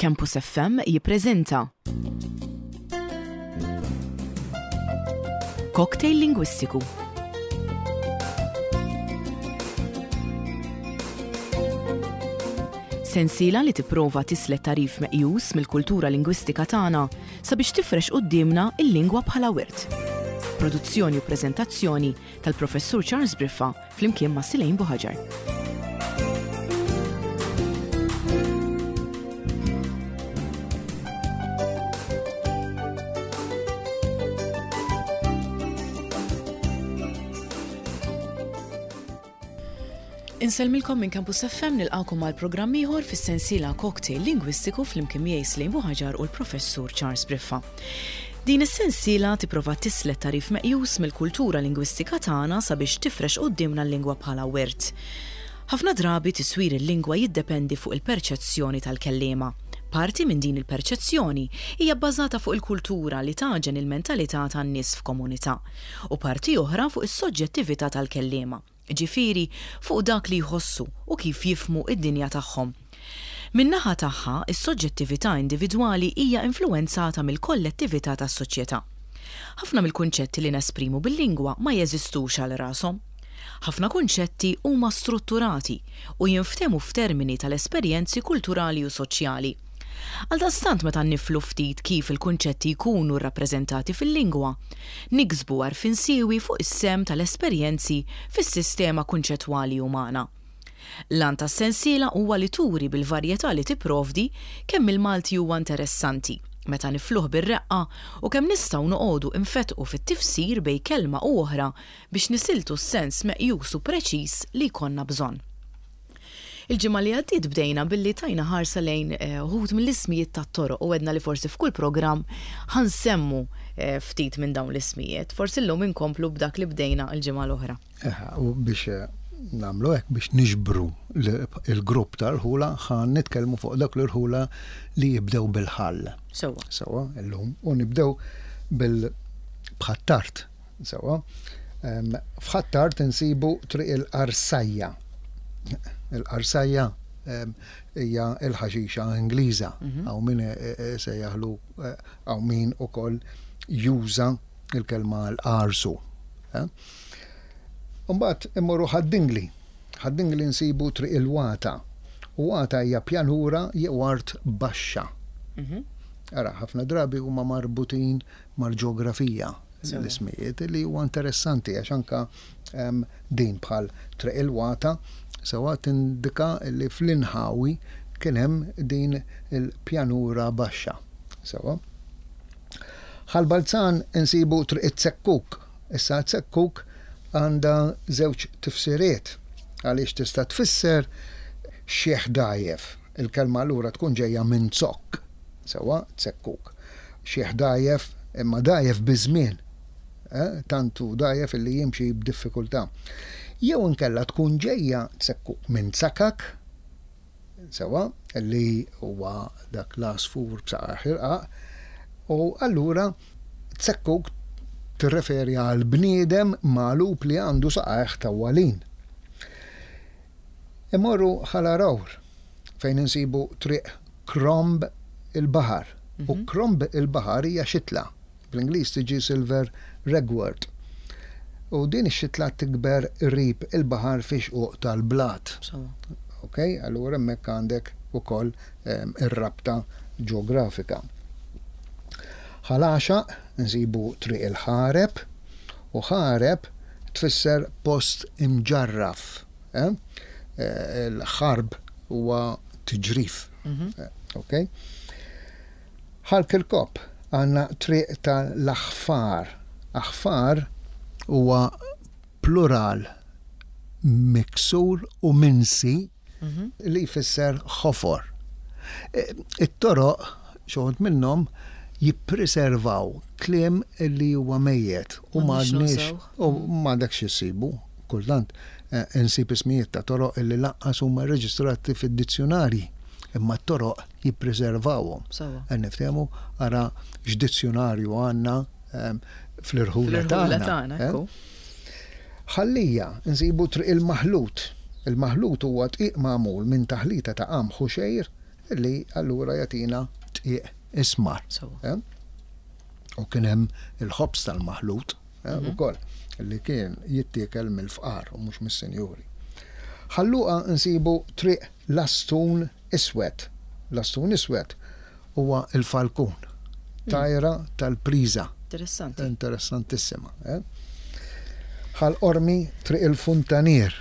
Campus FM jippreżenta Cocktail Lingwistiku. Sensiela li tipprova tislet tagħrif meqjus mill-kultura lingwistika tagħna sabiex tifrex quddiemna l-lingwa bħala wirt. Produzzjoni u preżentazzjoni tal-Professur Charles Briffa flimkien ma' Silejn Buħaġar. Insellmilkom minn Campus FM nilqakom għal programm ieħor fis-sensiela Cocktail Lingwistiku flimkien miegħi Slejn Buħaġar u l-Professur Charles Briffa. Din is-sensiela tipprova tislet tagħrif meqjus mill-kultura lingwistika tagħna sabiex tifrex quddiemna l-lingwa bħala wirt. Ħafna drabi tiswir il-lingwa jiddependi fuq il-perċezzjoni tal-kelliema. Parti minn din il-perċezzjoni hija bbażata fuq il-kultura li tagħġen il-mentalità tan-nies f'komunità, u parti oħra fuq is-soġġettività tal-kelliema. jiġifieri fuq dak li jħossu u kif jifhmu d-dinja tagħhom. Min-naħa tagħha, is-soġġettività individwali hija influwenzata mill-kollettività tas-soċjetà. Ħafna mill-kunċetti li nesprimu bil-lingwa ma jeżistux għal rashom. Ħafna kunċetti huma strutturati u jinftehmu f'termini tal-esperjenzi kulturali u soċjali. Għaldaqstant meta niflu ftit kif il-kunċetti jkunu rrappreżentati fil-lingwa, niksbu għarfien siewi fuq is-sehem tal-esperjenzi fis-sistema kunċettwali umana. L-għan tas-sensiela huwa li turi bil-varjetà li tipprovdi kemm il-Malti huwa interessanti meta nifluh bir-reqqa u kemm nistgħu noqogħdu nfettqu fit-tifsir bejn kelma u oħra biex nisiltu s-sens meqjus u preċiż li jkollna bżonn. Il-ġimgħa li għaddiet bdejna billi tajna ħarsa lejn eh, uħud mill-ismijiet tat-toroq u għedna li forsi f'kull programm ħa nsemmu eh, ftit minn dawn l-ismijiet. Forsi llum inkomplu b'dak li bdejna l-ġimgħa l-oħra. U biex eh, nagħmlu hekk biex niġbru il-grupp tal-ħula ħa nitkellmu fuq dak l-irħula li jibdew bil-ħall. Sewa. Sewa, illum. U nibdew bil-bħattart. Sewwa. F'Ħ'Attard insibu Triq il-Qarsajja. Il-qarsajja hija l-ħaxixa Ingliża. Mhm. Hawn min sejjaħlu hawn min ukoll juża l-kelma l-qarsu. Imbagħad immorru Ħad-Dingli. Ħad-Dingli nsibu Triq il-Wata. U wata hija pjanura jew art baxxa. Mhm. Ara, ħafna drabi huma marbutin mal-ġeografija l-ismijiet li huwa interessanti għax anka din bħal Triq il-Wata sewwa tindika li fl-inħawi kien hemm din il-pjanura baxxa. Sewwa. Ħal Balzan insibu Triq it-Zekkuk. Issa zekkuk għandha żewġ tifsiriet għaliex tista' tfisser xiħ dgħajjef. Il-kelma allura tkun ġejja minn zokk. Sewwa, zekkuk. Xiħ dgħajjef, imma dgħajjef biż-żmien. Eh, tant hu dgħajjef illi jimxi b'diffikultà. Jew inkella tkun ġejja zekkuk minn zakak, sewwa, li huwa dak l-għasfur b'saqajh irqaq, u allura zekkuk tirreferi għal bniedem magħlub li għandu saqajh tawwalin. Immorru Ħal Għargħur fejn insibu Triq Kromb il-Baħar. U Kromb il-Baħar hija xitla. Bl-Ingliż tiġi Silver Ragwort. U din ix-xitla tikber qrib il-baħar fi xquq tal-blat. Ok, allura hemmhekk għandek ukoll ir-rabta ġeografika. Ħal Għaxaq insibu Triq il-Ħareb u ħareb tfisser post imġarraf. Il-ħarb huwa tiġrif. Mhm. Ok? Ħal Kirkop għandna triq tal-aħfar. Aħfar huwa plural miksur u minsi li jfisser ħofor. It-toroq, xi wħud minnhom, jippriservaw kliem li huwa mejjet u m'għadniex u m'għadekx issibu. Kultant insib ismijiet ta' toroq li lanqas huma rreġistrati fid-dizzjunarji, imma t-toroq jippriservawhom. Qed niftehmu ara x'dizzjunarju għandna fl-irħula tagħna. Ħal Lija nsibu Triq il-Maħlut. Il-maħlut huwa dqiq magħmul minn taħlita ta' qamħ u xgħir. li allura jagħtina dqiq ismar. Eh? U kien hemm il-ħobż tal-maħlut eh, mhm. ukoll li kien jittiekel mill-fqar u mhux mis-sinjuri. Ħalluqa nsibu triq lastun iswed. Lastun iswed huwa l-falkun, tajra tal-priża. Interessanti. Interessantissima. Eh? Ħal Qormi Triq il-Funtanier.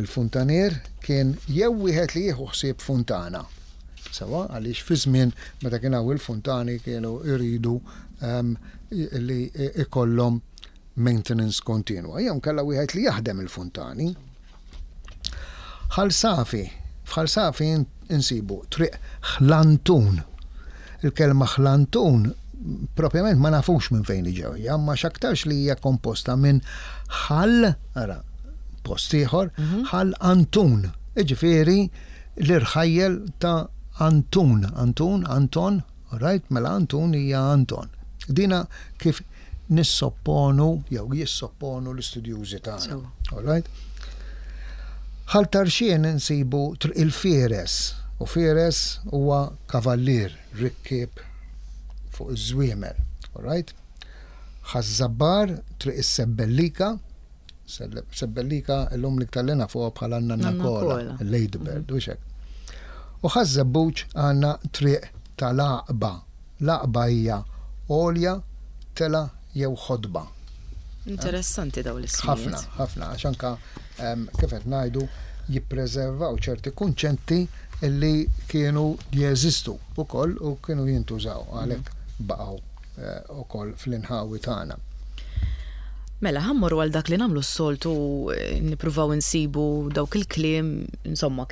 Il-funtanier kien jew wieħed li jieħu ħsieb funtana. Sewa, għaliex fi żmien meta kien hawn il-funtani kienu jridu ehm, li ikollhom maintenance kontinwa. Jew kellha wieħed li jaħdem il-funtani. Ħal Safi, f'Ħal Safi insibu Triq Ħlantun. Il-kelma Ħlantun propjament ma nafux minn fejn ġewja, ma x'aktarx li hija komposta minn ħal, ara, post ieħor, mhm. ħal Antun. Iġifieri l-irħajjel ta' Antun, Antun, Anton, Right, mela Antun hija Anton. Dina kif nissopponu jew jissopponu l-istudjużi tagħna. All right? Ħal Tarxien insibu Triq il-Fieres u Fieres huwa kavallier rikkieb fuq iż-żwiemel. All right? Ħaż-Żabbar Triq is-Sebbellika Sebbellika illum l-iktar li nafuha bħala n-Nanna Kola, il-Ladybird, u hekk. U Ħaż-Żebbuġ għandna triq tal-Għaqba. L-għaqba hija għolja, telgħa jew ħotba. Interessanti dawn l-ismijiet. Ħafna, ħafna, għax anka kif qed ngħidu jippreservaw ċerti kunċetti li kienu jeżistu wkoll u kienu jintużaw għalhekk baqgħu ukoll fl-inħawi tagħna. Mela, ħa mmorru għal dak li nagħmlu s-soltu nippruvaw insibu dawk il-kliem, insomma,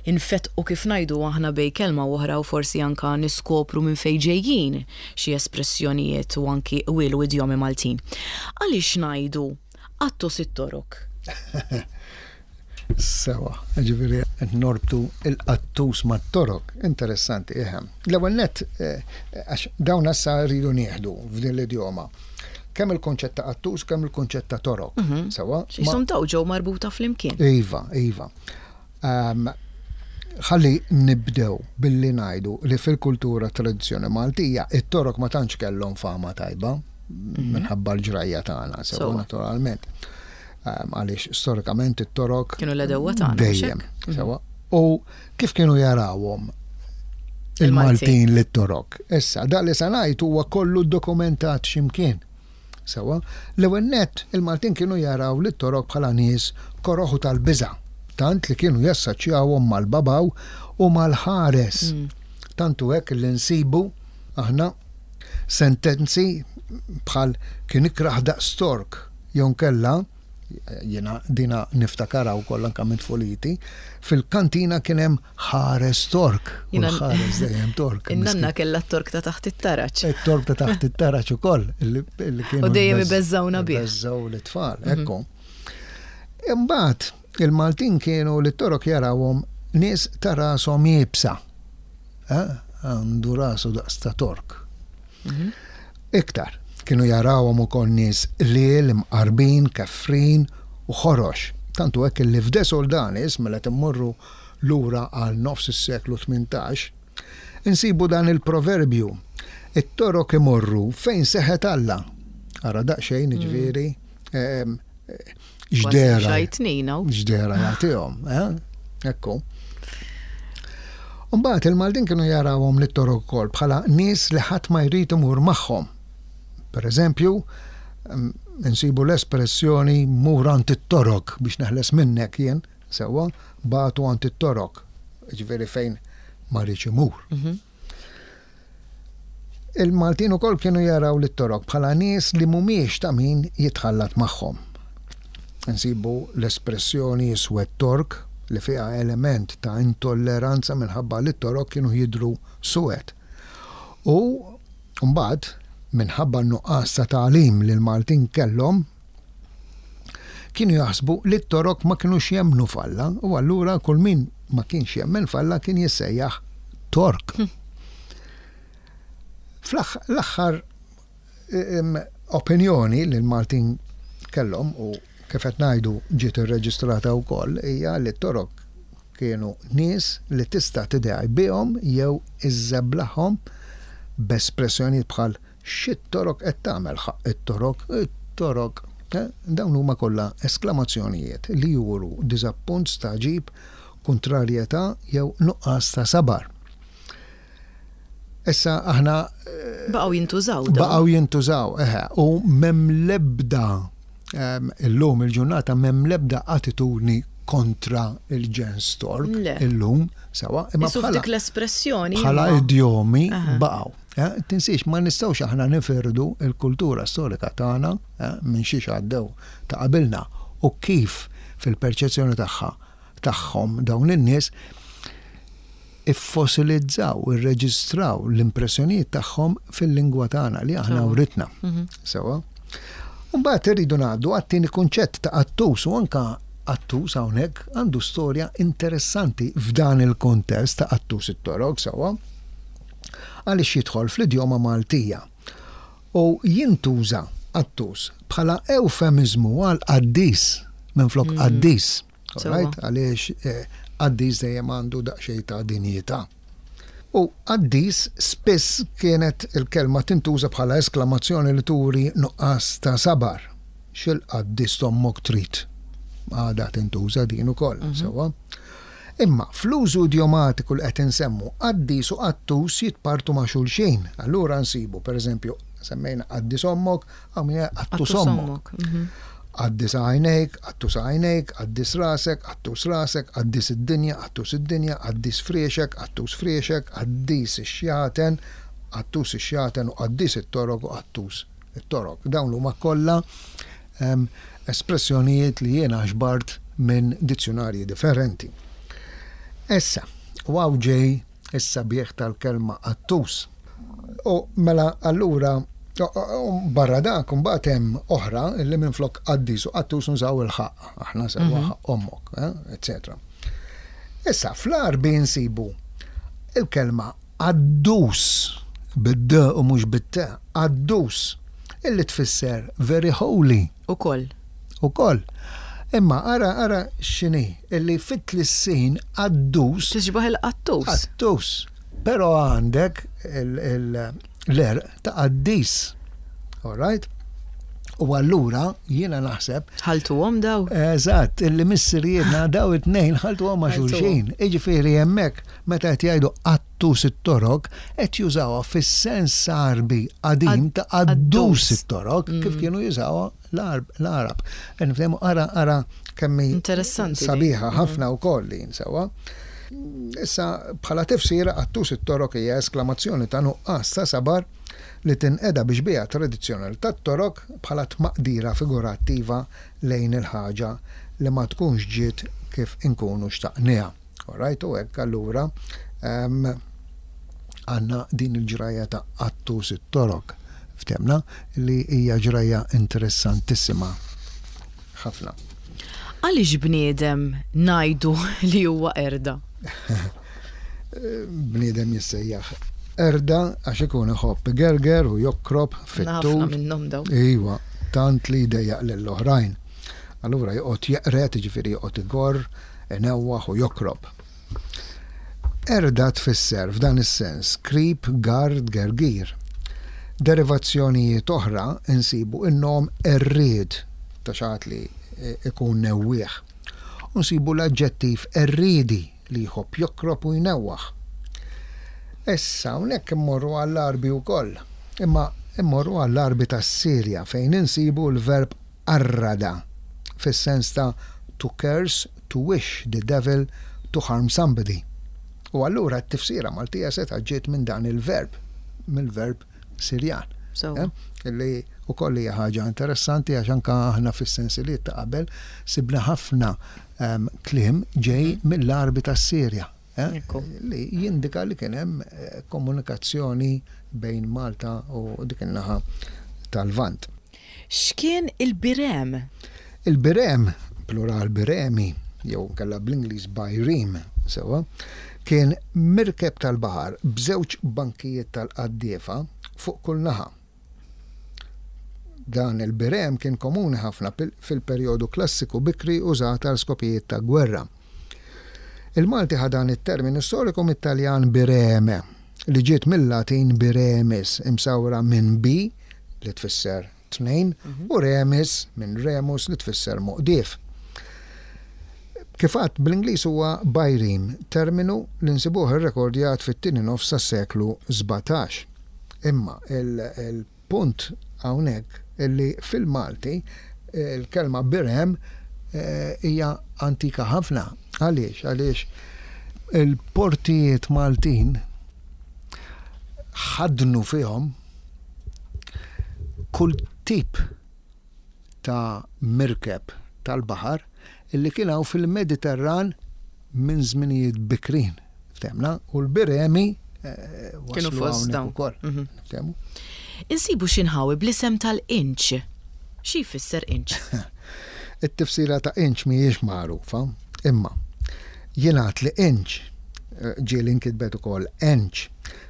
infettqu kif ngħidu aħna bejn kelma u oħra u forsi anka niskopru minn fejn ġejjin xi espressjonijiet u anki qwiel u idjomi Maltin. Għaliex ngħidu qattus it-torok? Sewa, ġifieri qed norbtu il-qattus mat-torok. Interessanti, eħe. L-ewwel nett, eh, għax dawn issa rridu nieħdu f'din l-idjoma. Kemm il-konċett ta' qattus, kemm il-konċett ta' torok. Mhm. Sewa. X'jisom daw ġew marbuta flimkien. Iva, iva. Ehm, ħalli nibdew billi ngħidu li fil-kultura tradizzjoni Maltija it-torok ma tantx kellhom fama tajba mhm. minħabba l-ġrajja tagħna, sewa naturalment. Ehm, għaliex storikament it-torok kienu l-edewwa tagħna. Dejjem, mhm. sewa. U kif kienu jarawhom il-Maltin li torok. Issa, dak li sa ngħid huwa kollu dokumentat x'imkien. Sewa, l-ewwel nett il-Maltin kienu jaraw lit torok bħala nies koroh u tal-biża', tant li kienu jassaċjawhom mal-babaw u mal-ħares. Mm. Tant hu hekk li nsibu aħna sentenzi bħal kien ikrah daqs tork jew nkella jiena dina niftakarha wkoll anke minn tfuliti, fil-kantina kien hemm ħares tork. U l-ħares dejjem tork. In-nanna kellha t-tork ta' taħt it-taraġ. It-tork ta' taħt it-taraġ ukoll. U dejjem ibeżżawna bih. Ibeżżaw l-itfal, mhm. ekku. Imbagħad il-Maltin kienu li t-torok jarawhom nies ta' rashom iebsa. Eh? Għandu rasu daqs ta' tork. Mhm. Iktar, kienu jarawhom ukoll nies qliel, imqarbin, kefrin u ħorox. Tant hu hekk li f'De Soldanis, mela qed immorru lura għal nofs is-seklu 18, insibu dan il-proverbju, It-torok imorru fejn seħet Alla. Ara daqsxejn, jiġifieri, ehm, x'dehra. X'dehra jagħtihom, eh? Ekku. Mbagħad il-Maltin kienu jarawhom lit-Torok ukoll bħala nies li ħadd ma jrid imur magħhom. Per eżempju, mm, insibu l-espressjoni mur għand it-Torok biex neħles minnek jien, sewwa, bagħtu għand it-Torok, ġifieri fejn ma rridx imur. Mhm. Il-Maltin ukoll kienu jaraw lit-Torok bħala nies li mhumiex ta' min jitħallat magħhom. Insibu l-espressjoni iswed Tork li fiha element ta' intolleranza minħabba li t-Torok kienu jidhru suwed. U mbagħad, minħabba n-nuqqas ta' tagħlim li l-Maltin kellhom, kienu jaħsbu li t-Torok ma kinux jemmnu f'Alla u allura kull min ma kienx jemmen f'Alla kien jissejjaħ Tork. Hm. Fl-aħħar opinjoni li l-Maltin kellhom u kif qed ngħidu ġiet irreġistrata wkoll hija li t-Torok kienu nies li tista' tidgħi bihom jew iżżeblaħhom b'espressjonijiet bħal x'it-Torok qed tagħmel ħaqq it-Torok, it-Torok. Dawn huma kollha esklamazzjonijiet li juru diżappunt, stagħġib, kuntrarjetà jew nuqqas ta' sabar. Issa aħna Baqgħu jintużaw dawn. Baqgħu jintużaw, eħe, u m'hemm l-ebda illum il-ġurnata m'hemm l-ebda attitudni kontra il-ġens Tork illum, sewa, imma bħala dik l-espressjoni bħala idjomi baqgħu. Tinsiex ma nistgħux aħna nifirdu l-kultura storika tagħna minn xiex għaddew ta' qabilna u kif fil-perċezzjoni tagħha tagħhom dawn in-nies iffosilizzaw, irreġistraw l-impressjonijiet tagħhom fil-lingwa tagħna li aħna writna. Sewa. Mbagħad irridu ngħaddu għat-tieni kunċett ta' qattus u anka qattus hawnhekk għandu storja interessanti f'dan il-kuntest ta' qattus it-torok sewwa. Għaliex jidħol fl-idjoma Maltija u jintuża qattus bħala ewfemiżmu għal qaddis minflok qaddis. Right? Għaliex qaddis dejjem għandu daqsxejn ta' dinjità. U qaddis spiss kienet il-kelma tintuża bħala esklamazzjoni li turi nuqqas ta' sabar. X'il-qaddis t'ommok trid? Għadha tintuża din ukoll, sewwa. Imma fl-użu idjomatiku li qed insemmu, qaddis u qattus jitpartu ma' xulxin. Allura nsibu, pereżempju, semmejna qaddis ommok, hawn min jgħid qattus ommok. Qaddis għajnejk, qattus għajnejk, qaddis rasek, qattus rasek, qaddis id-dinja, qattus id-dinja, qaddis friexek, qattus friexek, qaddis ix-xjaten, qattus ix-xjaten u qaddis it-torok u qattus it-torok. Dawn huma kollha espressjonijiet li jiena ġbart minn dizzjunarji differenti. Issa, u hawn ġej is-sabiħ tal-kelma qattus. U mela allura barra dak imbagħad hemm oħra li minflok qaddis u qattus nużaw il-ħaqq, aħna sewwa ħaqq ommok, eċċetera. Issa fl-Għarbi nsibu il-kelma qaddus bid-d u mhux bit-t, qaddus, illi tfisser very holy. Ukoll. Ukoll. Imma ara ara x'inhi, illi fit-tlissin qaddus. Tixbah il-qattus. Qattus. Però għandek l-għerq ta' qaddis. All right? U allura jiena naħseb. Ħaltuhom daw? Eżatt, illi missirijietna daw it-tnejn ħaltuhom ma' xulxin. Jiġifieri hemmhekk meta qed jgħidu qattus it-torok, qed jużawha fis-sens Għarbi qadim ta' qaddus it-torok, kif kienu jużawha l-Għarab. Nifhmu ara ara kemm hi sabiħa ħafna wkoll din sewwa. Issa bħala tifsira qattus it-torok hija esklamazzjoni ta' nuqqas ta' sabar li tinqeda bi xbieha tradizzjonali tat-torok bħala tmaqdira figurattiva lejn il-ħaġa li ma tkunx ġiet kif inkunu xtaqniha. Alright, u hekk allura għandna din il-ġrajja ta' Qattus it-Torok, ftemna, li hija ġrajja interessantissima ħafna. Għaliex bniedem ngħidu li huwa qerda? Bniedem jissejjaħ qerda għax ikun iħobb igerger u jokrob fit-tul. Ħafna minnhom dawn. Iva, tant li jdejjaq lill-oħrajn. Allura joqgħod jeqred, jiġifieri joqgħod igorr, inewwaħ u jokrob. Qerda tfisser f'dan is-sens krib, garr, tgergir. Derivazzjonijiet oħra nsibu n-nom qerried ta' xi ħadd li ikun newwieħ. U nsibu l-aġġettiv qerriedi li jħobb jokrob u jnewwaħ. Issa hawnhekk immorru għall-Għarbi wkoll. Imma immorru għall-Għarbi tas-Sirja fejn insibu l-verb qarrada fis-sens ta' to curse, to wish the devil to harm somebody. U allura t-tifsira Maltija setgħet ġiet minn dan il-verb, mill-verb Sirjan. Sewwa. Li wkoll hija ħaġa interessanti għax anke aħna fis-sensiliet ta' qabel sibna ħafna kliem ġej mill-Għarbi tas-Sirja. Li jindika li kien hemm komunikazzjoni bejn Malta u dik in-naħa tal-Lvant. X'kien il-birem? Il-birem, plural biremi, jew inkella bl-Ingliż bireme, sewwa, kien mirkeb tal-baħar b'żewġ bankijiet tal-qaddiefa fuq kull naħa. Dan il-birem kien komuni ħafna fil-perjodu klassiku bikri użat għal skopijiet ta' gwerra. Il-Malti ħa dan it-terminu storiku mit-Taljan bireme, li ġiet mil-Latin biremis, imsawra minn bi, li tfisser tnejn, u remis, minn remus, li tfisser moqdief. Kif għadt, bl-Ingliż huwa bireme, terminu li nsibuh irrekordjat fit-tieni nofs tas-seklu 17. Imma il-punt hawnhekk li fil-Malti l-kelma birem hija antika ħafna. Għaliex? Għaliex il-portijiet Maltin ħaddnu fihom kull tip ta' mirkeb tal-baħar illi kien hawn fil-Mediterran minn żminijiet bikrin. Ftehmna? U l-biremi eh, Kienu waslu fost hawnhekk dawn. ukoll. Ftehmu? Insibu xi nħawi bl-isem tal-inċ. Xi jfisser inċ? It-tifsira ta' inċ mhijiex magħrufa, imma jingħad li inċ, eh, ġieli nkitbet ukoll enċ,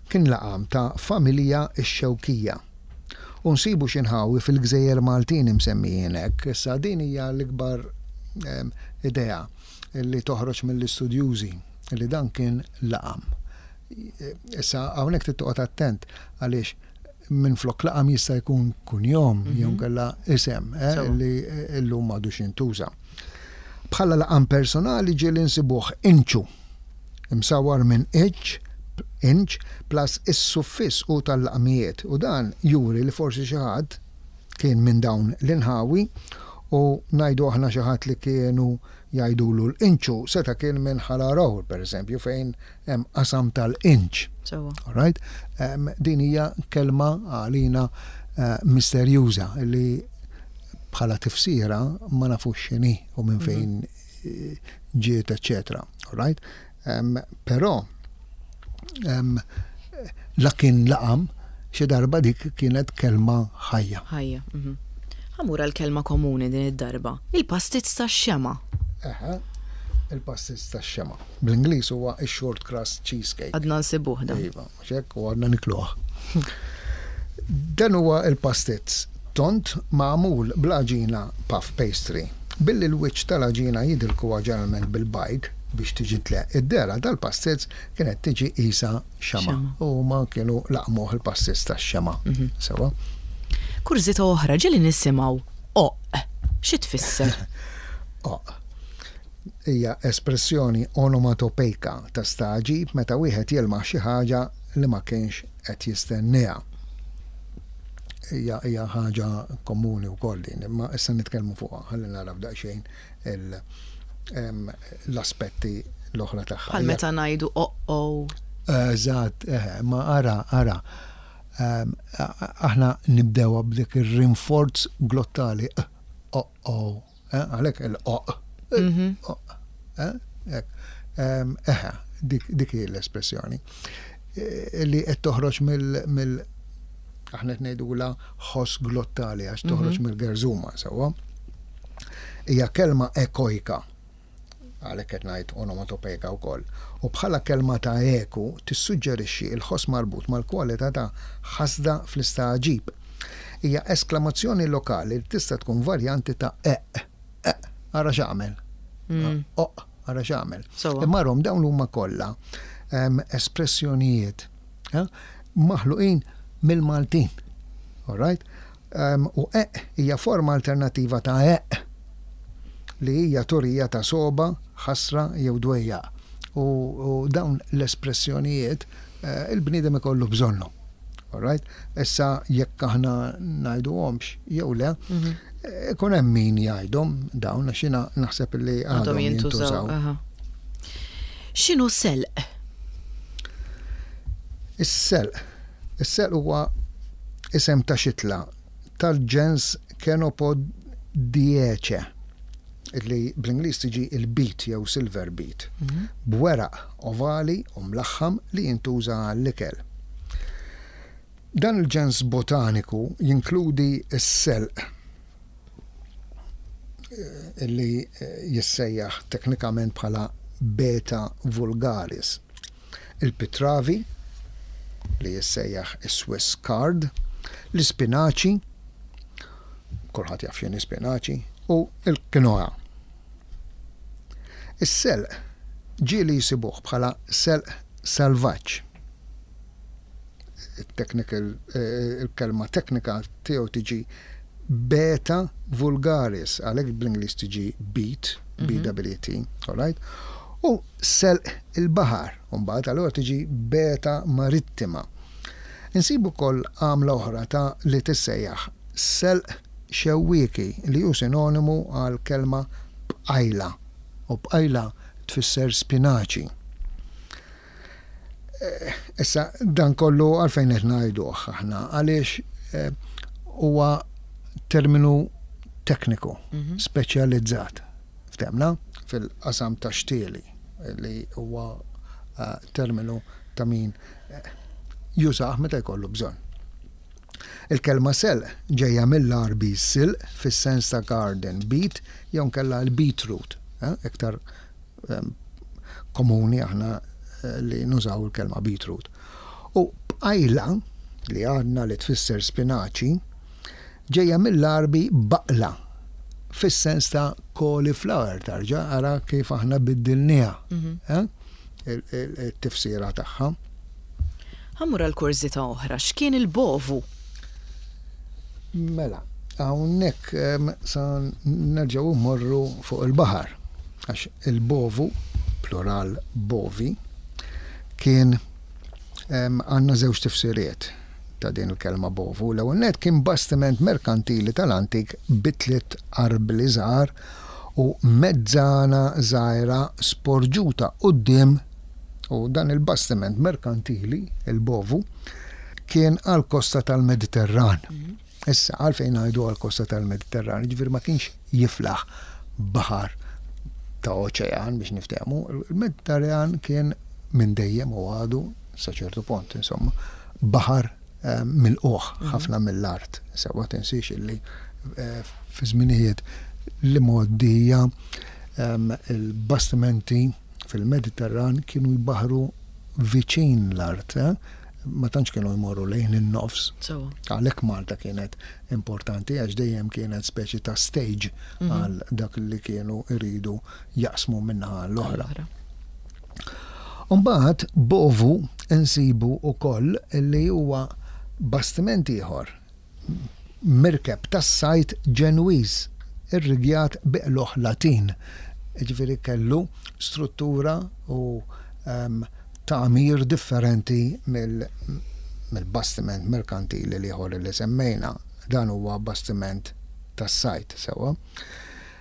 kien laqam ta' familja x-Xewkija. U nsibu xi nħawi fil-gżejjer Maltin imsemmijin hekk. Issa din hija l-ikbar idea li toħroġ mill-istudjużi li dan kien laqam. Issa hawnhekk trid toqgħod attent għaliex minflok laqam jista' jkun kunjom jew inkella isem li llum m'għadux jintuża. Bħala laqam personali ġieli nsibuh inċu, imsawwar minn iċ, inch, plus is-suffiss u tal-laqmijiet, u dan juri li forsi xi ħadd kien minn dawn l-inħawi u ngħidu aħna xi ħadd li kienu jgħidulu l-inċu seta' kien minn Ħal Għargħur, pereżempju, fejn hemm qasam tal-inċ. Sewwa. All right? Din hija kelma għalina misterjuża li bħala tifsira ma nafux x'inhi u minn fejn ġiet, eċċetera. All right? Però la kien laqam xi darba dik kienet kelma ħajja. Ħajja. Mhm. Ħa mmur għall-kelma komuni din id-darba. Il-pastizz tax-xemgħa. Eħe, il-pastizz tax-xemgħa. Bl-Ingliż huwa x-short crust cheesecake. Għadna nsibuh dan. Iva, mhux hekk, u għadna nikluh. Dan huwa l-pastizz tond magħmul bl-għaġina puff pastry. Billi l-wiċċ tal-għaġina jidilkuha ġeneralment bil-bajd biex tiġi tleqq, id-dehra tal-pastizz kienet tiġi qisha xemgħa. U huma kienu laqmuh il-pastizz tax-xemgħa. Sewwa? Kurżità oħra, ġieli nisimgħu oqq. Xi tfisser? Oqq hija espressjoni onomatopejka ta' stagħġib meta wieħed jilmaħ xi ħaġa li ma kienx qed jistennieha. Hija hija ħaġa komuni wkoll din, imma issa nitkellmu fuqha ħalli naraw daqsxejn l-aspetti l-oħra tagħha. Bħal meta ngħidu oh-oh. Eżatt, eħe, ma ara, ara, aħna nibdewha b'dik ir-rinforz glottali, oh-oh. Eh, għalhekk il-oq. Mhm. Eh, eħe, dik hi l-espressjoni. Eh, li qed toħroġ mill aħna qed ngħidula ħoss glottali għax toħroġ mhm. mill-gerżuma sewwa. Hija kelma ekojka għalhekk qed ngħid onomatopejka wkoll, u bħala kelma ta' eku tissuġġerixxi l-ħoss marbut mal-kwalità ta' ħasda fl-istagħġib. Hija esklamazzjoni lokali li tista' tkun varjanti ta' eqq, eqq, ara x'għamel, oqq, ara x'għamel. Imma arahom dawn huma kollha espressjonijiet maħluqin mill-Maltin. All right? U eqq hija forma alternattiva ta' eqq li hija turija ta' sogħba, ħasra jew dwejjaq. U dawn l-espressjonijiet il-bniedem ikollu bżonnhom. All right? Issa jekk aħna ngħiduhomx jew le, ikun hemm min jgħidhom dawn għax jiena naħseb li għadhom jintużaw. X'inhu selq? Is-selq. Is-selq huwa isem ta' xitla tal-ġens Chenopodiaceae, li bl-Ingliż tiġi l-beet jew silver beet, b'weraq ovali u mlaħħam li jintuża għall-ikel. Dan il-ġens botaniku jinkludi s-selq, li jissejjaħ teknikament bħala Beta vulgaris. il-pitravi, li jissejjaħ is-Swiss card, l-ispinaċi, kulħadd jaf x'inhi spinaċi, u l-quinoa. Is-selq Ġieli jsibuh bħala selq salvaġġ. It-technical, il-kelma teknika tiegħu tiġi beta vulgaris, għalhekk bl-Ingliż tiġi beet, B-E-E-T, all right? U selq il-baħar, u mbagħad allura tiġi beta marittima. Insibu wkoll għamla oħra ta' li tissejjaħ selq xewwieki li hu sinonimu għall-kelma bqajla u bqajla tfisser spinaċi. Issa dan kollu għalfejn qed ngħiduh aħna għaliex huwa terminu tekniku speċjalizzat ftemna fil-qasam ta' xtieli li huwa terminu ta' min jużah meta jkollu bżonn. Il-kelma selq ġejja mill-Għarbi silq fis-sens ta' garden beet jew inkella l-beetroot, iktar komuni aħna li nużaw il-kelma beetroot. U bqajla, li għadna li tfisser spinaċi, ġejja mill-Għarbi baqla fis-sens ta' cauliflower, tarġa' ara kif aħna biddilniha it-tifsira tagħha. Ħa mmur għal kurżità oħra, x'kien il-bovu? Mela, hawnhekk sa nerġgħu mmorru fuq il-baħar, għax il-bovu, plural bovi, kien għandna żewġ tifsiriet ta' din il-kelma bovu. L-ewwel nett kien bastiment merkantili tal-antik bi tliet arbli żgħar u mezzana żgħira sporġuta quddiem U dan il-bastiment merkantili, il-Bovu, kien għall-kosta tal-Mediterran. Issa, għalfejn ngħidu għall-kosta tal-Mediterran, ġifieri ma kienx jiflaħ baħar ta' oċean biex niftehmu, il-Mediterran kien minn dejjem u għadu sa ċertu punt, insomma, baħar eh, mill-qoħ mhm. ħafna mill-art. Sewa tinsiex illi eh, fi żminijiet li moddija ehm, il-bastimenti fil-Mediterran kienu jbaħħru viċin l-art, ma tantx kienu jmorru lejn in-nofs. Għalhekk Malta kienet importanti għax dejjem kienet speċi ta' stage mhm. għal dak li kienu jridu jaqsmu minnaħa l-oħra. Umbagħad bovu nsibu wkoll li huwa bastiment ieħor mirkeb tas-sajd Ġenwiż irrigjat bi qlugħ Latin, jiġifieri kellu struttura u tagħmir differenti mill-bastiment merkantili l-ieħor li semmejna. Dan huwa bastiment tas-sajd, sewwa.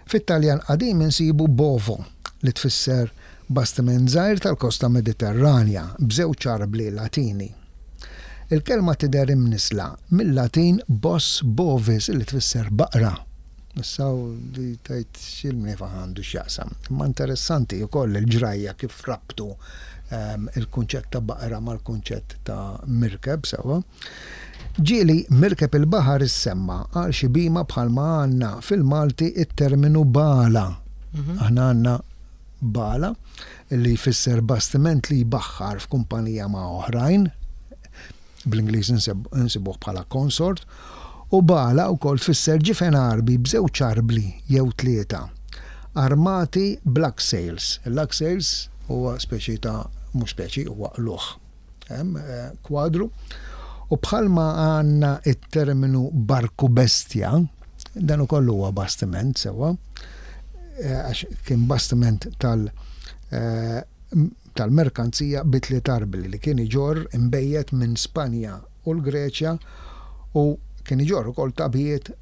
Fit-Taljan qadim insibu bovo, li tfisser bastiment żgħir tal-kosta Mediterranja b'żewġ arbli Latini. Il-kelma tidher imnissla mil-Latin bos bovis li tfisser baqra. Issa li tgħid x'il-mniefaħ għandu x'jaqsam. Imma interessanti wkoll il-ġrajja kif rabtu ehm, il-kunċett ta' baqra mal-kunċett ta' mirkeb sewwa. Ġieli mirkeb il-baħar issemma għal xi bhima bħalma għandna fil-Malti it-terminu bala. Mhm. Aħna għandna Bala, li jfisser bastiment li jbaħħar f'kumpanija ma' oħrajn, bl-Ingliż insibuh bħala consort, u bala wkoll tfisser ġifen Għarbi b'żewġ arbli jew tlieta, armati b'lug sails. Il-lug sails huwa speċi ta', mhux speċi, huwa qlugħ. Hemm kwadru. U bħalma għandna t-terminu barku bestja, dan ukoll huwa bastiment sewwa, għax kien bastiment tal tal-merkanzija bi tliet arbli li kien iġorr inbejjed minn Spanja u l-Greċja u kien iġorr ukoll tagħbijiet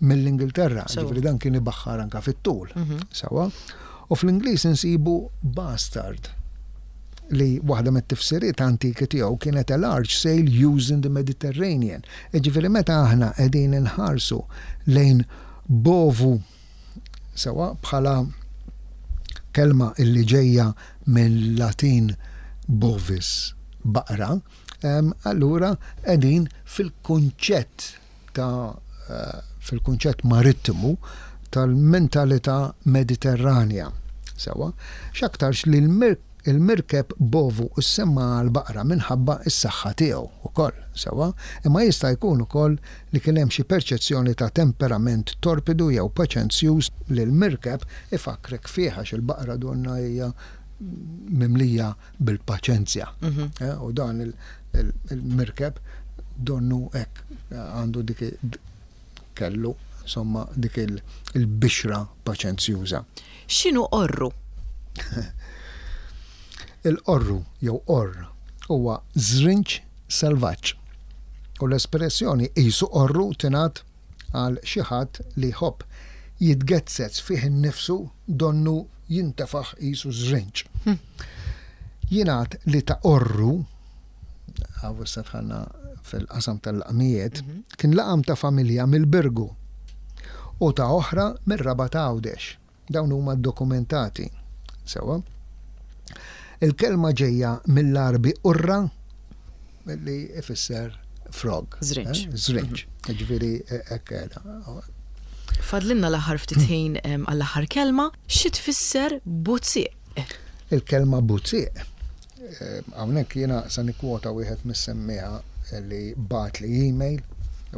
mill-Ingilterra, ġifieri dan kien ibaħħar anke fit-tul. Sewwa. U fl-Ingliż insibu bastard. li waħda mit-tifsiriet antiki tiegħu kienet a large sail used in the Mediterranean. Jiġifieri meta aħna qegħdin inħarsu lejn bovu sewwa bħala kelma illi ġejja mill-Latin bovis, baqra, allura qegħdin fil-kunċett ta' fil-kunċett marittimu tal-mentalità Mediterranja. Sewwa, x'aktarx li l-mirkeb bovu ssemma għall-baqra minħabba s-saħħa tiegħu wkoll, sewwa, imma jista' jkun ukoll li kien hemm xi perċezzjoni ta' temperament torpidu jew paċenzjuż li l-mirkeb ifakkrek fih għax il-baqra donnha hija mimlija bil-paċenzja. Eh, u dan il-mirkeb donnu hekk għandu dik kellu insomma dik il-bixra paċenzjuża. X'inhu qorru? Il-qorru jew qorr huwa żrinġ selvaġġ. U l-espressjoni qisu qorru tingħad għal xi ħadd li jħobb jitgezzez fih innifsu donnu jintefaħ qisu żrinġ. Jingħad li ta' qorru, hawn issa dħalna fil-qasam tal-laqmijiet, kien laqam ta' familja mill-Birgu u ta' oħra mir-Rabat Għawdex. Dawn huma ddokumentati. Sewwa. Il-kelma ġejja mill-Għarbi qurra li ifisser frog. Żrinġ. Eh? Żrinġ. Mhm. Ġifieri eh, hekk qiegħda. Fadlinna l-aħħar ftit ħin għall-aħħar kelma, xi tfisser buzzieq? Il-kelma buzzieq eh, hawnhekk jiena se nikkwota wieħed mis-semmiegħa li bagħatli email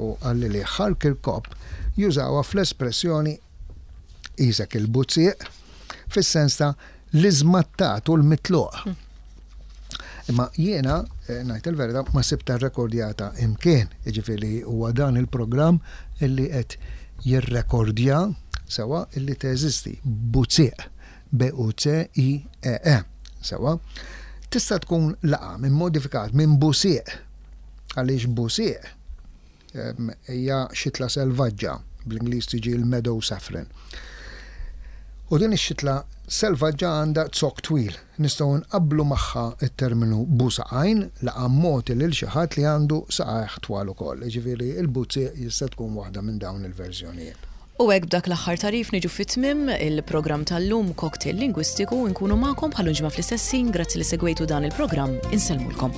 u qalli li Ħal Kirkop jużawha fl-espressjoni Qisek il-buzzieq, fis-sens ta' l-iżmattat u l-mitluq. Imma jiena, eh, ngħid il-verità, ma sibta rrekordjata imkien, jiġifieri huwa dan il-programm illi qed jirrekordja sewa illi teżisti buzzieq, B-U-C-I-E-E, e, sewa. Tista' tkun laqam immodifikat minn busieq għaliex busieq Hija xitla selvaġġa, bl-Ingliż tiġi l-meadow saffron. U din ix-xitla selvaġġa għandha zokk twil. Nistgħu nqabblu magħha t-terminu busaqajn, laqam mogħti lil xi ħadd li għandu saqajh twal ukoll. Jiġifieri l-buzzieq jista' tkun waħda minn dawn il-verżjonijiet. U hekk b'dak l-aħħar tagħrif niġu fi tmiem il-programm tal-lum Cocktail Lingwistiku, inkunu magħkom bħal ġimgħa fl-istess ħin, grazzi li segwejtu dan il-programm, insellmulkom.